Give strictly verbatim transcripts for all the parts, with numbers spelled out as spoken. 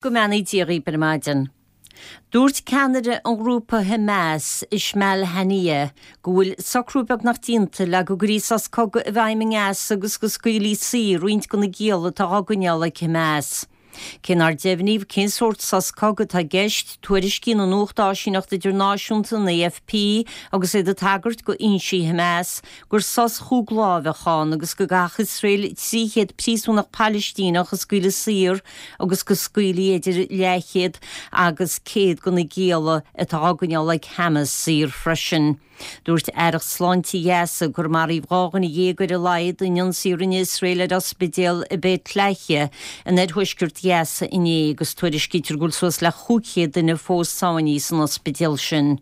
Go mbeannaí Dia dhaoibh ar maidin. Dúirt ceannaire an ghrúpa Hamas, Ismail Haniyeh, go bhfuil socrú beagnach déanta le go gcuirfí sos cogaidh i bhfeidhm i nGaza agus go scaoilfí saor roinnt de na gialla atá á gcoinneáil ag Hamas. Cé nár deimhníodh cén sórt sos cogaidh atá i gceist, tuairiscíonn an nuachtáisíneacht idirnáisiúnta an AFP agus iad ag tagairt go fhoinsí Hamas gur sos chúig lá a bheadh ann agus go gcaithfeadh Iosrael trí chéad príosúnach Palaistíneach a scaoileadh saor agus go scaoilfí idir leathchéad agus céad de na gialla atá á gcoinneáil ag Hamas saor freisin. Dúirt Aireacht Sláinte Ghaza gur maraíodh dhá dhuine dhéag ar a laghad in ionsaí a rinne Iosrael ar ospidéal i Beit Lahia in oirthuaisceart Ghaza inné agus tuairiscítear go bhfuil suas le cúig chéad duine fós sáinnithe san ospidéal sin.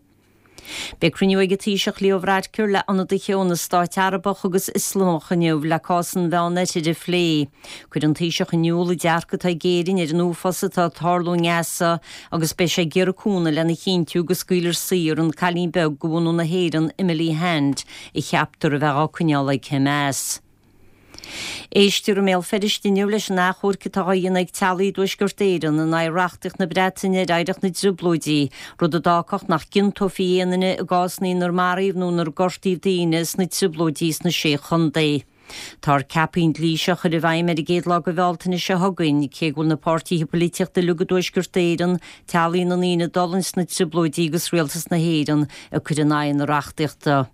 Beidh cruinniú ag an Taoiseach Leo Varadkar le ionadaithe ó na stáit Arabach agus Ioslamach inniu le cás an Mheánoirthir a phlé. Chuir an Taoiseach in iúl an dearcadh atá ag Éirinn ar an uafás atá ag tarlú i nGaza agus beidh sé ag iarraidh cúnamh lena chinntiú go scaoilfear saor an cailín beag de bhunadh na hÉireann Emily Hand a cheaptar a bheith á coinneáil ag Hamas. Éistear i mBéal Feirste inniu leis an achomharc atá á dhéanamh ag teaghlaigh i dTuaisceart Éireann in aghaidh reachtaíocht na Breataine ar oidhreacht na dTrioblóidí, rud a d'fhágfadh nach gciontófaí aon duine i gcásanna inar maraíodh nó inar gortaíodh daoine sna Trioblóidí sna Sé Chontae. Táthar ceaptha an dlí seo a chur i bhfeidhm ar an gcéad lá de Bhealtaine seo chugainn, cé go bhfuil na páirtithe polaitíochta uilig i dTuaisceart Éireann, teaghlaigh na ndaoine a d'fhulaing sna Trioblóidí agus Rialtas na hÉireann ag cur in aghaidh na reachtaíochta.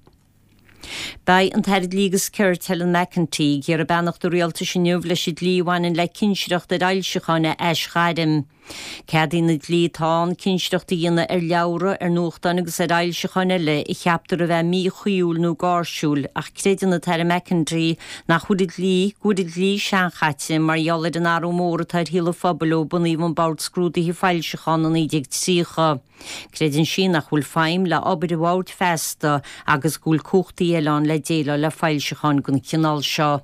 Beidh an tAire Dlí agus Cirt Helen McEntee ag iarraidh beannacht an rialtais inniu leis an dlí a bhaineann le cinsireacht ar fhoilseacháin a aisghairm. Ceadaíonn an dlí atá ann cinsireacht a dhéanamh ar leabhra, ar nuachtáin agus ar fhoilseacháin eile a cheaptar a bheith míchuibhiúil nó gáirsiúil, ach creideann an tAire McEntee nach bhfuil an dlí, go bhfuil an dlí seanchaite mar gheall ar an athrú mór atá ar shaol an phobail ó bunaíodh an Bord Scrúdaithe Foilseachán i naoi déag tríocha. Creideann sí nach bhfuil feidhm le obair an bhoird feasta agus go bhfuil cumhachtaí eile ann le déileáil le foilseacháin den chineál seo.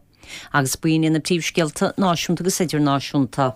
Agus b'in iad na príomhscéalta náisiúnta agus idirnáisiúnta.